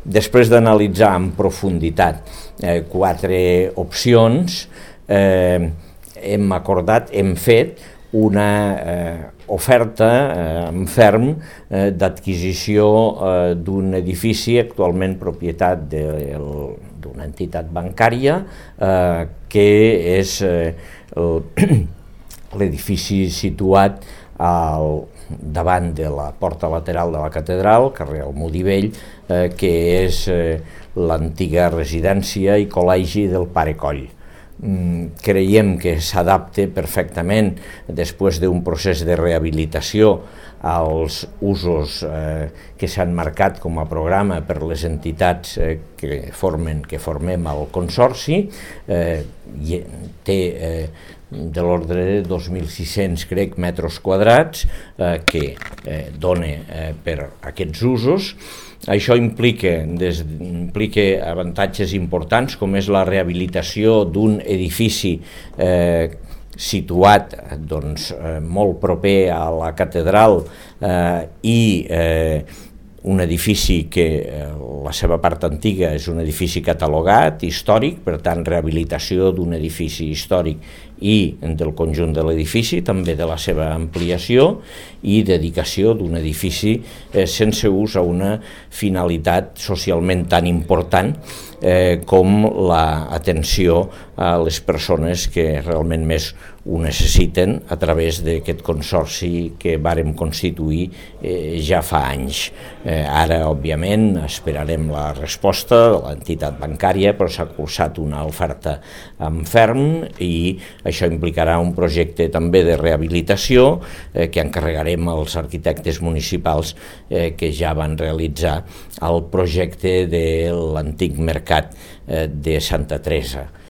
Després d'analitzar en profunditat 4 opcions, hem fet una oferta en ferm d'adquisició d'un edifici actualment propietat d'una entitat bancària, que és l'edifici situat davant de la porta lateral de la catedral, carrer Almodí, que és l'antiga residència i col·legi del Pare Coll. Creiem que s'adapta perfectament, després d'un procés de rehabilitació, als usos que s'han marcat com a programa per les entitats que formem el Consorci. Té de l'ordre de 2.600, crec, metres quadrats que dona per aquests usos. Això implica avantatges importants, com és la rehabilitació d'un edifici situat molt proper a la catedral i un edifici que la seva part antiga és un edifici catalogat, històric, per tant rehabilitació d'un edifici històric i del conjunt de l'edifici, també de la seva ampliació, i dedicació d'un edifici sense ús a una finalitat socialment tan important com l'atenció a les persones que realment més ho necessiten a través d'aquest consorci que vàrem constituir ja fa anys. Ara, òbviament, esperarem la resposta de l'entitat bancària, però s'ha cursat una oferta en ferm i això implicarà un projecte també de rehabilitació que encarregarem als arquitectes municipals que ja van realitzar el projecte de l'antic mercat de Santa Teresa.